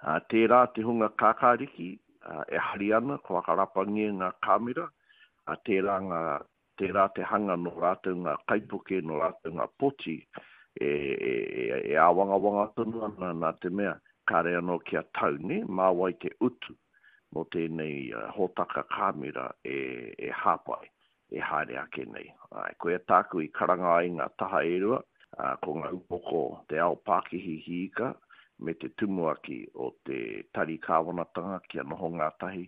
Tērā te hunga kākāriki e hari ana kua whakarapangia ngā kāmera, tērā ngā, tērā te hanga nō rātou ngā kaipuke, nō rātou ngā poti e, e, e, e āwangawanga tonu ana nā te mea kāre anō kia tau, nē, mā wai te utu mō tēnei hōtaka kāmera e, e hāpai, e haere ake nei. Āe, koia tāku i karanga ai ngā taha e rua, ā, ko ngā upoko te ao pākihi hiika me te tumuaki o te tari kāwanatanga kia noho ngātahi.